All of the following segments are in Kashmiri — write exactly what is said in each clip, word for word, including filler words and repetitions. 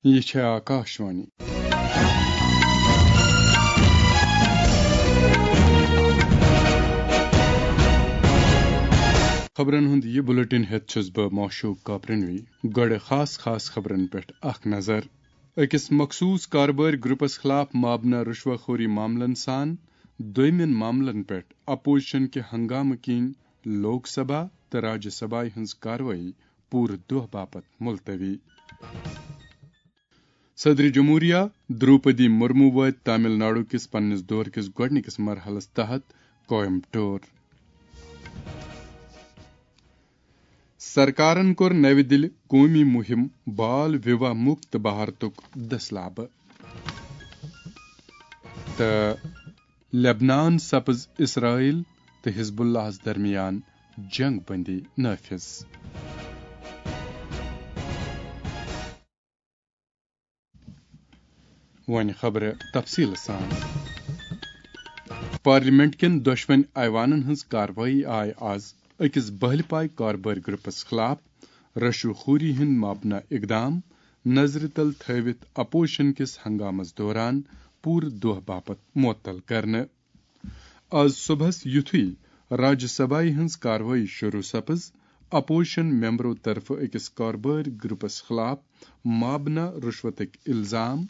یہِ چھےٚ آکاشوانی۔ خبرن ہُنٛد یہِ بلیٹن ہٮ۪تھ چھُس بہٕ موشوق کاپرنوی۔ گۄڈٕ خاص خاص خبرن پٮ۪ٹھ اکھ نظر۔ أکِس مخصوٗص کاربٲرۍ گروپس خلاف مابنہ رشوہ خوری معاملن سان دوٚیمٮ۪ن معاملن پٮ۪ٹھ اپوزیشن کہِ ہنگامہٕ کِنۍ لوک سبھا تہٕ راجیہ سبھایہ ہٕنٛز کاروٲیی پوٗرٕ دۄہ باپتھ ملتوی۔ صدر جمہوریہ دروپدی مرمو وٲتۍ تامل ناڈو کِس پننِس دورٕ کِس گۄڈٕنِکِس مرحلس تحت کویمبٹور۔ سرکارن کوٚر نَوِ دِلہِ قومی مُہِم بال وِواہ مُکت بھارتُک دٔسلابہٕ۔ تہٕ لبنان سپٕز اسرائیل تہٕ حزب اللہس درمیان جنگ بندی نافذ۔ وۄنۍ خبرٕ تفصیٖل سان۔ پارلیمنٹ کٮ۪ن دۄشوٕنۍ ایوانن ہٕنٛز کاروٲیی آیہِ آز أکِس بہلہِ پایہِ کاربٲرۍ گروپس خلاف رشوٕ خوری ہٕنٛدۍ مابنہ اقدام نظرِ تل تھٲوِتھ اپوزیشن کِس ہنگامس دوران پوٗرٕ دۄہ باپتھ معطل کرنہٕ۔ آز صبحس یُتھُے راجیہ سبھایہ ہٕنٛز کاروٲیی شروع سپٕز، اپوزیشن ممبرو طرفہٕ أکِس کاربٲرۍ گروپس خلاف مابنہ رشوتٕکۍ الزام،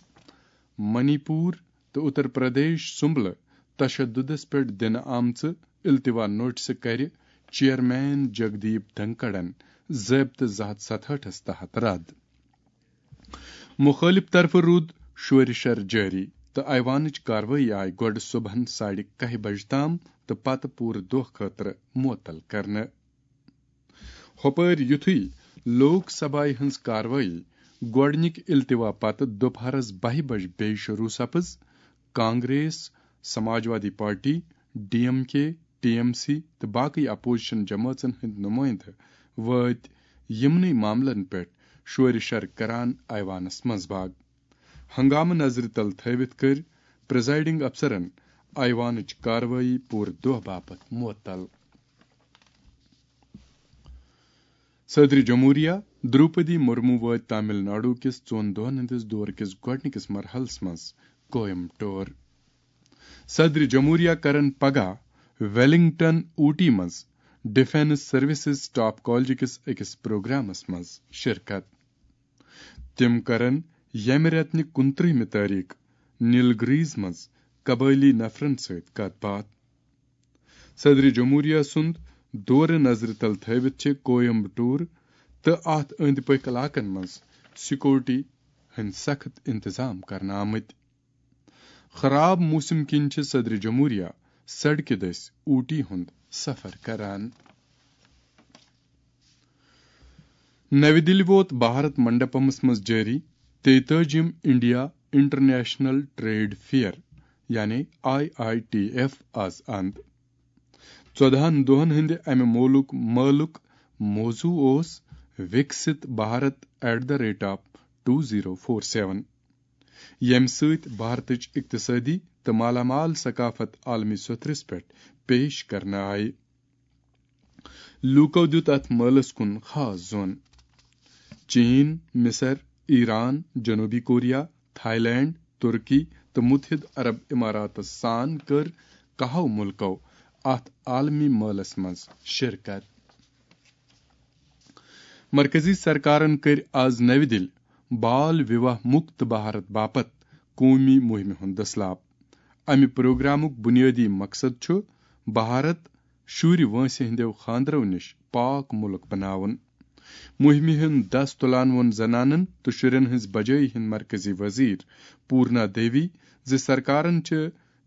منی پور تہٕ اتر پردیش سُمبلہٕ تشددس پٮ۪ٹھ دِنہٕ آمژٕ التوا نوٹسہٕ کرِ چیئرمین جگدیپ دھنکڑن ضٲبطہٕ زٕ ہتھ ستہٲٹھس تحت رد۔ مُخٲلِف طرفہٕ روٗد شورِ شر جٲری تہٕ ایوانٕچ کاروٲیی آیہِ گۄڈٕ صبحن ساڑِ کاہہِ بجہِ تام تہٕ پتہٕ پوٗرٕ دۄہ خٲطرٕ معطل کرنہٕ۔ ہۄپٲرۍ یُتھُے لوک سبھایہ ہٕنٛز کاروٲیی گۄڈٕنِکۍ التوا پتہٕ دُپہرس بَہہِ بجہِ بیٚیہِ شروع سپٕز، Congress, Samajwadi party, D M K, T M C تہٕ باقٕے اپوزیشن جمٲژن ہٕنٛدۍ نُمٲیندٕ وٲتۍ یِمنٕے معاملن پٮ۪ٹھ شورِ شر کران ایوانس منٛز باگ۔ ہنگامہٕ نظرِ تل تھٲوِتھ کٔرۍ پریزائیڈنگ افسرن ایوانٕچ کاروٲیی پوٗرٕ دۄہ باپتھ معطل۔ صدر جمہوریہ دروپدی مرمو وٲتۍ تامل ناڈو کِس ژۄن دۄہن ہٕنٛدِس دورٕ کِس گۄڈٕنِکِس مرحلس منٛز کویمبٹور۔ صدر جمہوریہ کرن پگاہ ویلنگٹن اوٹی منٛز ڈیفنس سروسز ٹاپ کالج کِس أکِس پروگرامس منٛز شرکت۔ تِم کرن ییٚمہِ رٮ۪تہٕ نہِ کُنترٕہمہِ تٲریخ نیلگریز منٛز قبٲئلی نفرن سۭتۍ کتھ باتھ۔ صدر جمہوریہ سُنٛد دورٕ نظرِ تل تھٲوِتھ چھِ کویمبٹور تہٕ اتھ أنٛدۍ پٔکھۍ علاقن منٛز سیکورٹی ہٕنٛدۍ سخت انتظام کرنہٕ آمٕتۍ۔ خراب موسم کِنۍ چھِ صدر جمہوریہ سڑکہِ دٔسۍ اوٹی ہُنٛد سفر کران۔ نَوِ دِلہِ ووت بھارت منڈپمس منٛز جٲری تیتٲجِم انڈیا انٹرنیشنل ٹریڈ فیئر، یعنی آئی آئی ٹی ایف، آز اند۔ ژۄدہن دۄہن ہٕنٛدِ امہِ مولُک مٲلُک موضوع اوس Viksit Bharat at the rate of two zero four seven، ییٚمہِ سۭتۍ بھارتٕچ اقتصٲدی تہٕ مالا مال ثقافت عالمی سطحس پٮ۪ٹھ پیش کرنہٕ آیہِ۔ لوٗکو دیُت اتھ مٲلس کُن خاص زون۔ چین، مصر، ایران، جنوبی کوریا، تھائی لینڈ، ترکی تہٕ متحدہ عرب اماراتس سان کٔر کاہو ملکو اتھ عالمی مٲلس منٛز شرکت۔ مرکزی سرکارن کٔرۍ آز نَوِ دِلہِ بال وِواہ مُکت بھارت باپتھ قومی مُہِمہِ ہُنٛد دٔسلاب۔ امہِ پروگرامُک بُنیٲدی مقصد چھُ بھارت شُرۍ وٲنٛسہِ ہٕنٛدیو خانٛدرو نِش پاک مُلک بناوُن۔ مُہِمہِ ہُنٛد دَس تُلان ووٚن زنانن تہٕ شُرٮ۪ن ہٕنٛز بجٲیی ہٕنٛدۍ مرکزی وزیر پورنا دیوی زِ سرکارن چھِ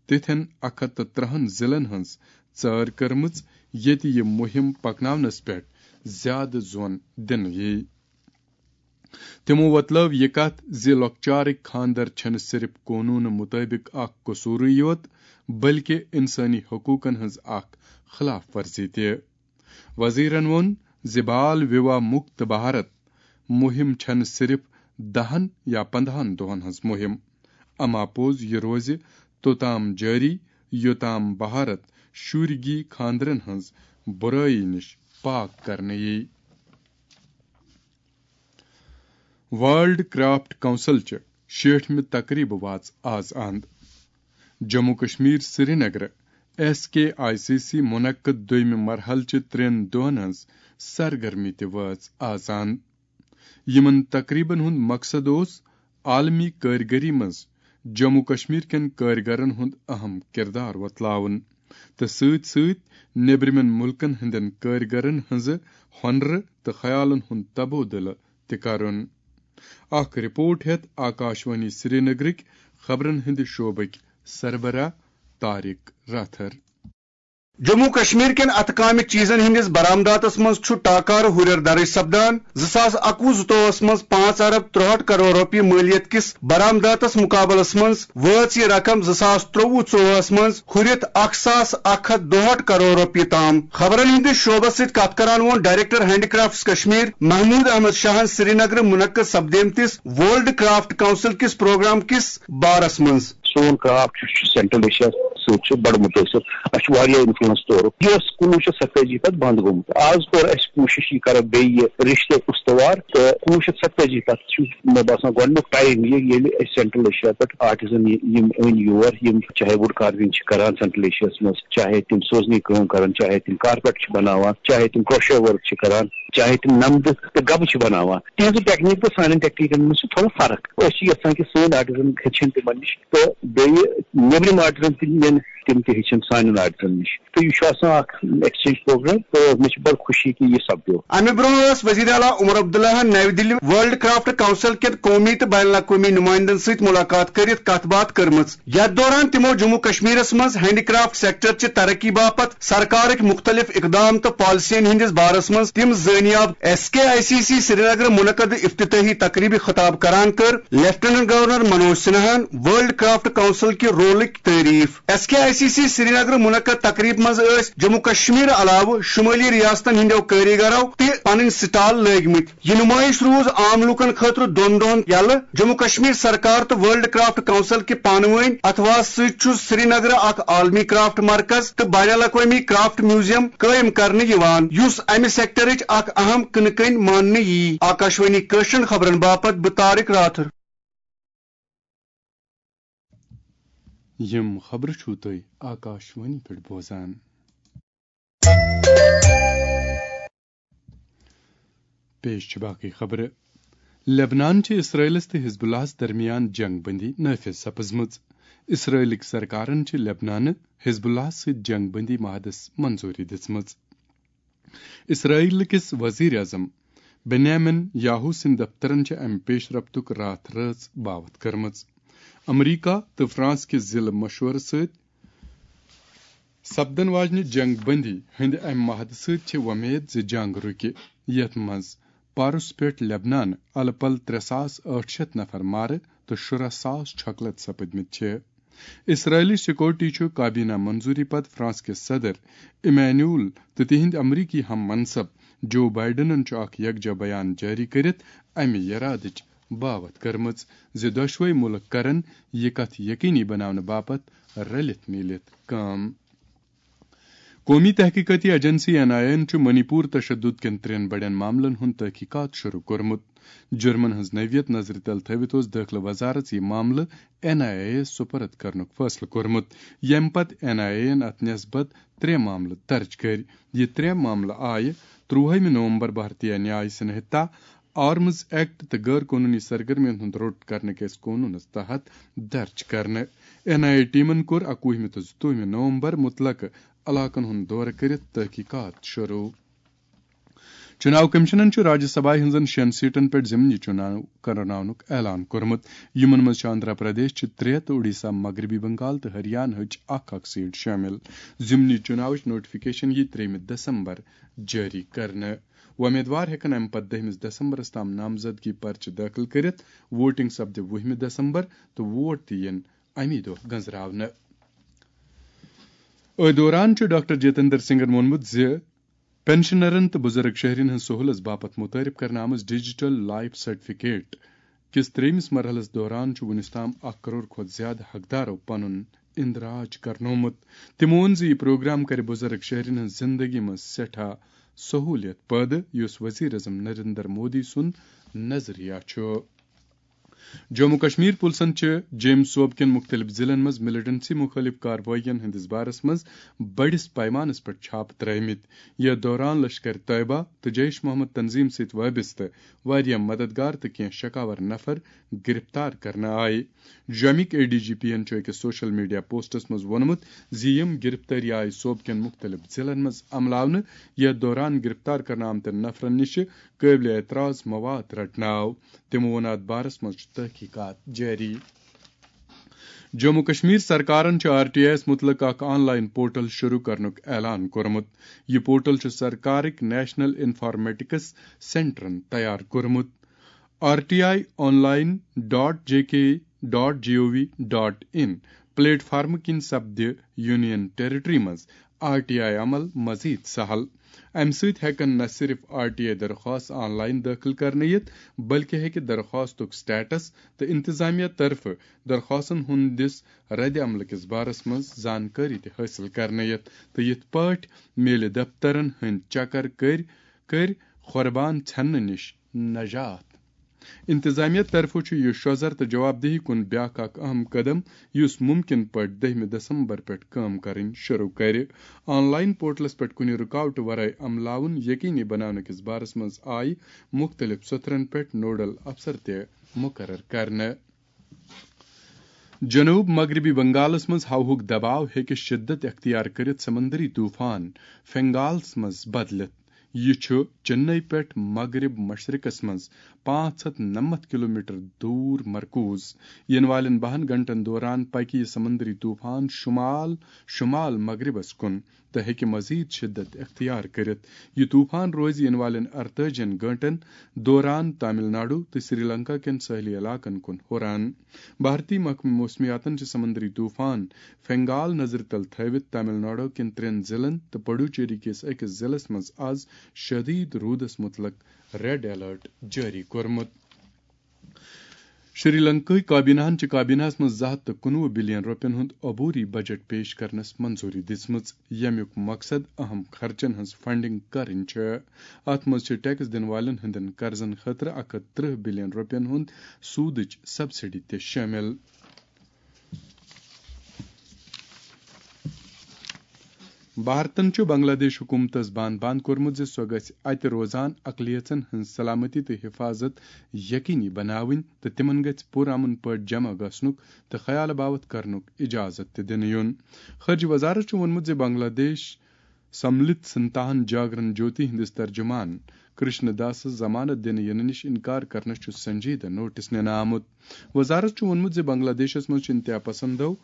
تِتھٮ۪ن اکھ ہتھ تہٕ ترٛہن ضلعن ہٕنٛز ژٲر کٔرمٕژ، ییٚتہِ یہِ مُہِم پکناونس پٮ۪ٹھ زیادٕ زون دِنہٕ یِیہِ۔ تِمو وۄتلٲو یہِ کتھ زِ لۄکچارٕکۍ خانٛدر چھِنہٕ صرف قونوٗنہٕ مُطٲبِق اکھ قصوٗرٕے یوت، بلکہِ انسٲنی حقوٗقن ہٕنٛز اکھ خلاف ورزی تہِ۔ وزیرن ووٚن زِ بال وِواہ مُکت بھارت مُہِم چھَنہٕ صرف دَہن یا پنٛداہن دۄہن ہٕنٛز مُہِم، اما پوٚز یہِ روزِ توٚتام جٲری، یوٚتام بھارت شُرۍ گی خانٛدرن ہٕنٛز بُرٲیی نِش پاک کرنہٕ یِیہِ۔ ورلڈ کرافٹ کونسل چہِ شیٹھمہِ تقریبہٕ واژ آز اند۔ Jammu Kashmir Srinagar S K I C C منعقد دویمہِ مرحلہٕ چہِ ترٛٮ۪ن دۄہن ہٕنٛز سرگرمی تہِ وٲژ آز اند۔ یِمن تقریبن ہُنٛد مقصد اوس عالمی کٲرگٔری منٛز جموں کشمیر کٮ۪ن کٲرگرن ہُنٛد اہم کردار وۄتلاوُن تہٕ سۭتۍ سۭتۍ نیبرِمٮ۪ن مُلکن ہٕنٛدٮ۪ن کٲرگرن ہٕنٛزٕ ہۄنرٕ تہٕ خیالن ہُنٛد تبادلہٕ تہِ کرُن۔ اکھ رپورٹ ہیتھ آکاشوانی سرینگرٕکۍ خبرن ہٕنٛدِ شعبٕکۍ سربراہ طارق راتھر۔ جموں کشمیر کٮ۪ن اتھٕ کامہِ چیزن ہٕنٛدِس برآمداتس منٛز چھُ ٹاکارٕ ہُرٮ۪ر درٕج سپدان۔ زٕ ساس اکوُہ زٕتووُہس منٛز پانٛژھ ارب ترٛہٲٹھ کرور رۄپیہِ مٲلیت کِس برآمداتس مقابلس منٛز وٲژ یہِ رقم زٕ ساس ترٛوٚوُہ ژوٚوُہس منٛز ہُرِتھ اکھ ساس اکھ ہتھ دُہٲٹھ کرور رۄپیہِ تام۔ خبرن ہٕنٛدِس شعبس سۭتۍ کتھ کران ووٚن director handicrafts Kashmir Mahmood Ahmad شاہن سرینگرٕ منعقد سپدیمتِس ورلڈ کرافٹ کونسل کِس پروگرام کِس بارس منٛز۔ سون کرافٹ یُس چھُ سینٹرل ایشیا سۭتۍ چھُ بڑٕ مُتٲثر۔ اَسہِ چھُ واریاہ انفلوئنس تورُک۔ یہِ ٲس کُنوُہ شیٚتھ ستٲجی پٮ۪ٹھ بنٛد گوٚمُت۔ آز کوٚر اَسہِ کوٗشِش یہِ کرو بیٚیہِ یہِ رِشتہٕ استوار، تہٕ کُنوُہ شیٚتھ ستٲجی پٮ۪ٹھ چھُ مےٚ باسان گۄڈٕنیُک ٹایم یہِ، ییٚلہِ أسۍ سینٹرل ایشیا پٮ۪ٹھ آرٹزن یہِ، یِم أنۍ یور، یِم چاہے وُڈ کاروِنگ چھِ کران سینٹرل ایشیاہس منٛز، چاہے تِم سوزنٕچ کٲم کران، چاہے تِم کارپیٹ چھِ بناوان، چاہے تِم کروشیا ورک چھِ کران، چاہے تِم نمدٕ تہٕ گبہٕ چھِ بناوان، تِہنٛزٕ ٹیکنیک تہٕ سانٮ۪ن ٹیکنیکن منٛز چھِ تھوڑا فرق۔ أسۍ چھِ یژھان کہِ سٲنۍ آرٹزن ہیٚچھن تِمن نِش تہٕ بیٚیہِ نیبرِم آرٹزن تہِ نِن، تِم تہِ ہیٚچھن سانٮ۪ن آرٹزن نِش۔ تہٕ یہِ چھُ آسان اکھ ایکسچینج پروگرام تہٕ مےٚ چھِ بڑٕ خوشی کہِ یہِ سپدیو۔ امہِ برونٛہہ ٲس وزیر اعلیٰ عمر عبداللہن نَوِ دِلہِ ورلڈ کرافٹ کونسل کٮ۪ن قومی تہٕ بین الاقوٲمی نُمایندن سۭتۍ مُلاقات کٔرِتھ کتھ باتھ کٔرمٕژ، یتھ دوران تِمو جموں کشمیرس منٛز ہینڈی کرافٹ سیکٹر چہِ ترقی باپتھ سرکارٕکۍ مُختٔلِف اقدام تہٕ پالیسین ہٕنٛدِس بارس منٛز تِم زٲنیاب S K I C C Srinagar منعقد افتتاحی تقریبہِ خطاب کران کٔر لیفٹیننٹ گورنر منوج سنہاہن ورلڈ کرافٹ کونسل کہِ رولٕکۍ تعریف۔ S K I C C Srinagar منعقد تقریب منٛز ٲسۍ جموں کشمیر علاوٕ شمٲلی ریاستن ہٕنٛدیو کٲریگرو تہِ پنٕنۍ سٹال لٲگمٕتۍ۔ یہِ نُمٲیِش روٗز عام لوٗکن خٲطرٕ دۄن دۄہن یلہٕ۔ جموں کشمیر سرکار تہٕ ورلڈ کرافٹ کونسل کہِ پانہٕ وٲنۍ اتھواس سۭتۍ چھُ سرینگرٕ اکھ عالمی کرافٹ مرکز تہٕ بین الاقوٲمی کرافٹ میوزیم قٲیِم کرنہٕ یِوان، یُس امہِ سیکٹرٕچ اکھ اہم کٕنہٕ کٔنۍ ماننہٕ یِیہِ۔ آکاشوانی کٲشرٮ۪ن خبرن باپتھ بہٕ طارق راتھر۔ یِم خبرٕ چھِو تُہۍ آکاشوانی پٮ۪ٹھ بوزان۔ پیش چھِ باقٕے خبرٕ۔ لبنان چھِ اسرائیلس تہٕ حزب اللہس درمیان جنگ بندی نافذ سپٕزمٕژ۔ اسرائیلٕکۍ سرکارن چھِ لبنانہٕ حزب اللہس سۭتۍ جنگ بندی معاہدس منظوٗری دِژمٕژ۔ اسرائیل کِس وزیر اعظم بنیامن یاہو سٕنٛدۍ دفترن چھِ امہِ پیش رفتُک راتھ رٲژ باوتھ کٔرمٕژ۔ امریکہ تہٕ فرانس کِس ضلع مشورٕ سۭتۍ سپدن واجنہِ جنگ بندی ہٕنٛدِ امہِ معاہدٕ سۭتۍ چھِ وۄمید زِ جنگ رُکہِ، یتھ منٛز پارس پٮ۪ٹھ لبنان الہٕ پلہٕ ترٛےٚ ساس ٲٹھ شیٚتھ نفر مارٕ تہٕ شُراہ ساس چھۄکلت سپٕدمٕتۍ چھِ۔ اسرائیلی سیکورٹی چھُ کابینہ منظوری پتہٕ فرانس کِس صدر ایمانوئل تہٕ تِہنٛدۍ امریکی ہم منصب جو بائیڈنن چھُ اکھ یکجا بیان جٲری کٔرِتھ امہِ یرادٕچ باوتھ کٔرمٕژ زِ دۄشوے مُلک کرن یہِ کتھ یقینی بناونہٕ باپتھ رلِتھ میٖلِتھ کٲم۔ قومی تحقیقاتی ایجنسی این آئی اے یَن چھُ منی پور تشدد کٮ۪ن ترٛٮ۪ن بڑٮ۪ن معاملن ہُنٛد تحقیقات شروع کوٚرمُت۔ جرمن ہٕنٛز نوعیت نظرِ تل تھٲوِتھ اوس دٲخلہٕ وزارت یہِ معاملہٕ این آئی اے یَس سپرد کرنُک فٲصلہٕ کوٚرمُت، ییٚمہِ پتہٕ این آئی اے یَن اتھ نسبت ترٛےٚ معاملہٕ درج کٔرۍ۔ یہِ ترٛےٚ معاملہٕ آیہِ ترٛوہمہِ نومبر بھارتیہ نیاے سنہتا، آرمز ایکٹ تہٕ غٲر قونوٗنی سرگرمیَن ہُنٛد روٚٹ کرنہٕ کِس قونوٗنَس تحت درج کرنہٕ۔ این آئی اے ٹیمن کوٚر اکوُہمہِ تہٕ زٕتووُہمہِ نومبر مُتلقہٕ علاقن ہُنٛد دورٕ کٔرِتھ تحقیقات شروع۔ چُناو کمیشنن چھُ راجیہ سبھا ہٕنٛزن شیٚن سیٹن پٮ۪ٹھ ضمنی چُناو کرناونُک اعلان کوٚرمُت۔ یِمن منٛز چھِ آندھرا پردیش چہِ ترٛےٚ تہٕ اوڈیشہ، مغربی بنگال تہٕ ہریانہ ہٕچ اکھ اکھ سیٹ شٲمِل۔ ضمنی چُناوٕچ نوٹیفکیشن یِیہِ ترٛیٚیِمہِ دسمبر جٲری کرنہٕ۔ وۄمیدوار ہٮ۪کن امہِ پتہٕ دٔہمِس دسمبرس تام نامزدگی پرچہٕ دٲخل کٔرِتھ۔ ووٹنگ سپدِ وُہمہِ دسمبر تہٕ ووٹ تہِ یِن امی دۄہ گنزراونہٕ۔ أتھۍ دوران چھُ ڈاکٹر جتندر سنگھن ووٚنمُت زِ پنشنرن تہٕ بُزرگ شہرین ہٕنٛز سہوٗلژ باپتھ مُتعارف کرنہٕ آمٕژ ڈیجیٹل لائف سرٹیفکیٹ کِس ترٛیٚیمِس مرحلس دوران چھُ وُنیُس تام اکھ کرور کھۄتہٕ زیادٕ حقدارو پنُن اندراج کرنومُت۔ تٔمۍ ووٚن زِ یہِ پروگرام کرِ بُزرگ شہرین ہٕنٛز زندگی منٛز سٮ۪ٹھاہ سہوٗلیت پٲدٕ، یُس وزیر اعظم نریندر مودی سُنٛد نظریہ چھُ۔ جموں کشمیر پُلسن چھِ جیمز صوبہٕ کٮ۪ن مُختٔلِف ضلعن منٛز ملیٹنسی مُخٲلِف کاروٲیین ہٕنٛدِس بارس منٛز بٔڑِس پیمانس پٮ۪ٹھ چھاپہٕ ترٲومٕتۍ۔ یَتھ دوران لشکر طیبہ تہٕ جیش محمد تنظیم سۭتۍ وابستہٕ واریاہ مددگار تہٕ کینٛہہ شکاور نفر گرفتار کرنہٕ آیہِ۔ جومٕکۍ اے ڈی جی پی یَن چھُ أکِس سوشل میڈیا پوسٹس منٛز ووٚنمُت زِ یِم گرفتٲری آیہِ صوبہٕ کٮ۪ن مُختٔلِف ضلعن منٛز عملاونہٕ۔ یَتھ دوران گرفتار کرنہٕ آمتٮ۪ن نفرن نِش چھِ قٲبلِ اعتراض مواد رٹنہٕ آو۔ تِمو ووٚن اَتھ بارس منٛز چھِ تحقیقات جٲری۔ جموں کشمیر سرکارن چھُ آر ٹی آئی یَس مُتعلق اکھ آن لائن پورٹل شروع کرنُک اعلان کوٚرمُت۔ یہِ پورٹل چھُ سرکارٕکۍ نیشنل انفارمیٹکس سینٹرن تیار کوٚرمُت۔ R T I online dot J K dot G O V dot I پلیٹ فارم کِنۍ سپدِ یونین ٹیریٹری منٛز آر ٹی آئی عمل مزید سہل۔ امہِ سۭتۍ ہٮ۪کن نہ صرف آر ٹی آئی درخواست آن لائن دٲخل کرنہٕ یِتھ، بلکہِ ہٮ۪کہِ درخواستُک سٹیٹس تہٕ انتظامیہ طرفہٕ درخواستن ہٕنٛدِس رد عملہٕ کِس بارس منٛز زانکٲری تہِ حٲصِل کرنہٕ یِتھ، تہٕ یِتھ پٲٹھۍ میلہِ دفترن ہٕنٛدۍ چکر کٔرۍ کٔرۍ قربان ژھٮ۪ننہٕ نِش نجات۔ انتظامیہ طرفہٕ چھُ یہِ شوزر تہٕ جواب دہی کُن بیاکھ اکھ اہم قدم، یُس ممکن پٲٹھۍ دٔہمہِ دسمبر پٮ۪ٹھ کٲم کرٕنۍ شروع کرِ۔ آن لائن پورٹلس پٮ۪ٹھ کُنہِ رُکاوٹہٕ ورٲے عملاوُن یقینی بناونہٕ کِس بارس منٛز آیہِ مُختٔلِف سطرن پٮ۪ٹھ نوڈل افسر تہِ مقرر کرنہٕ۔ جنوب مغربی بنگالس منٛز ہوہُک دباو ہیٚکہِ شدت اختیار کٔرِتھ سمندری طوفان فنگالس منٛز بدلِتھ۔ یہِ چھُ چنئی پٮ۪ٹھ مغرب مشرقس منٛز پانٛژھ ہتھ نَمَتھ کلومیٹر دوٗر مرکوز۔ یِنہٕ والٮ۪ن بَہَن گھنٹن دوران پکہِ یہِ سمندری طوفان شمال شمال مغربس کُن تہٕ ہیٚکہِ مزید شدت اختیار کٔرِتھ۔ یہِ طوفان روزِ یِنہٕ والٮ۪ن اَرتٲجِہَن گھنٹن دوران تامل ناڈو تہٕ سری لنکا کٮ۪ن سٲحلی علاقن کُن ہُران۔ بھارتی محکمہٕ موسمیاتن چھِ سمندری طوفان فنگال نظرِ تل تھٲوِتھ تامل ناڈو کٮ۪ن ترٛٮ۪ن ضلعن تہٕ پڈوچیری کِس أکِس ضلعس منٛز آز شدید روٗدس مُتعلق ریڈ الرٹ جٲری کوٚرمُت۔ شری لنکاہٕکۍ کابیناہن چھِ کابیناہس منٛز زٕ ہتھ تہٕ کُنوُہ بلین رۄپین ہُنٛد عبوری بجٹ پیش کرنس منظوری دِژمٕژ، ییٚمیُک مقصد اہم خرچن ہٕنٛز فنڈنگ کرٕنۍ چھِ۔ اتھ منٛز چھِ ٹیکس دِنہٕ والٮ۪ن ہٕنٛدٮ۪ن قرضن خٲطرٕ اکھ ہتھ ترٕہ بلین رۄپین ہُنٛد سوٗدٕچ سبسڈی تہِ شٲمِل۔ بھارتن چھُ بنگلہ دیش حکومتس بان بان کوٚرمُت زِ سۄ گژھِ اتہِ روزان اقلیژن ہٕنٛز سلامتی تہٕ حفاظت یقینی بناوٕنۍ تہٕ تِمن گژھِ پُرامن پٲٹھۍ جمع گژھنُک تہٕ خیال باوتھ کرنُک اجازت تہِ دِنہٕ یُن۔ خارجہ وزارت چھُ ووٚنمُت زِ بنگلہ دیش سملت سنتاہن جاگرن جوتی ہٕنٛدِس ترجمان کرشن داسس ضمانت دِنہٕ ینہٕ نِش انکار کرنس چھُ سنجیدٕ نوٹس نِنہٕ آمُت۔ وزارت چھُ ووٚنمُت زِ بنگلہ دیشس منٛز چھِ انتہا پسندو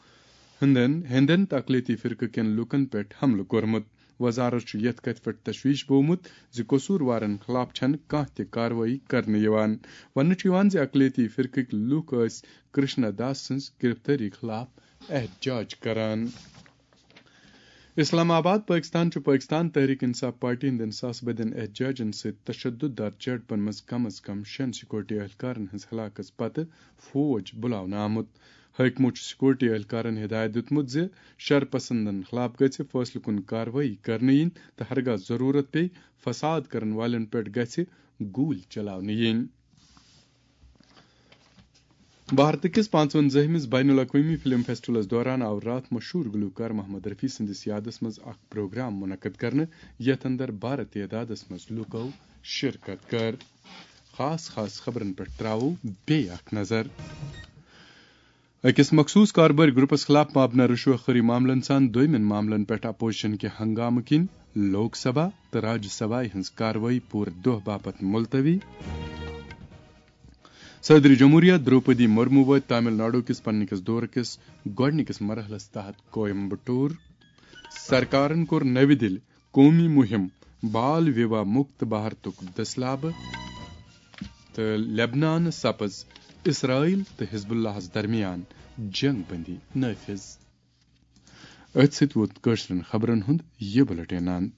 ہٕنٛدٮ۪ن ہیٚنٛدٮ۪ن تہٕ اقلیتی فرقہٕ کٮ۪ن لوٗکن پٮ۪ٹھ حملہٕ کوٚرمُت۔ وزارت چھُ یَتھ کَتھِ پٮ۪ٹھ تشویش بوومُت زِ قصوٗروارن خلاف چھَنہٕ کانٛہہ تہِ کاروٲیی کرنہٕ یِوان۔ وننہٕ چھُ یِوان زِ اقلیتی فرقٕکۍ لوٗکھ ٲسۍ کرشنا داس سٕنٛز گرفتٲری خلاف احتجاج کران۔ اسلام آباد، پٲکستان چھُ پٲکستان تحریک انصاف پارٹی ہٕنٛدٮ۪ن ساسہٕ بٔدٮ۪ن احتجاجن سۭتۍ تشدد دار جھڑپن منٛز کم از کم شٮ۪ن سیکورٹی اہلکارن ہٕنٛز ہلاکت پتہٕ فوج بُلاونہٕ آمُت۔ حٲکمو چھُ سیکورٹی اہلکارن ہدایت دیُتمُت زِ شر پسندن خلاف گژھِ فٲصلہٕ کُن کاروٲیی کرنہٕ یِنۍ تہٕ ہرگاہ ضروٗرت پیٚیہِ، فساد کرن والٮ۪ن پٮ۪ٹھ گژھِ گوٗلۍ چلاونہٕ یِنۍ۔ بھارت کِس پانٛژوَنزٲہمِس بین الاقوٲمی فلم فیسٹیولس دوران آو راتھ مشہوٗر گلوکار محمد رفیع سٕنٛدِس یادس منٛز اکھ پروگرام منعقد کرنہٕ، یتھ اندر بھارٕ تعدادس منٛز لوٗکو شرکت کٔر۔ خاص خاص خبرن پٮ۪ٹھ تراوو بیٚیہِ اکھ نظر۔ أکِس مخصوٗص کاربٲرۍ گروپس خلاف مبنی رشوت خوری معاملن سان دوٚیمٮ۪ن معاملن پٮ۪ٹھ اپوزیشن کہِ ہنگامہٕ کِنۍ لوک سبھا تہٕ راجیہ سبھایہِ ہٕنٛز کاروٲیی پوٗرٕ دۄہ باپتھ ملتوی۔ صدر جمہوریہ دروپدی مرمو وٲتۍ تامل ناڈو کِس پننہِ کِس دورٕ کِس گۄڈٕنِکِس مرحلس تحت کویمبٹور۔ سرکارن کوٚر نٔوِ دِلہِ قومی مُہِم بال وِواہ مُکت بھارتُک دٔسلابہٕ۔ تہٕ لبنانہٕ سپٕز اسرائیل تہٕ حزب اللہس درمیان جنگ بندی نافذ۔ أتھۍ سۭتۍ ووت کٲشرٮ۪ن خبرن ہُنٛد یہِ بُلٹن اند۔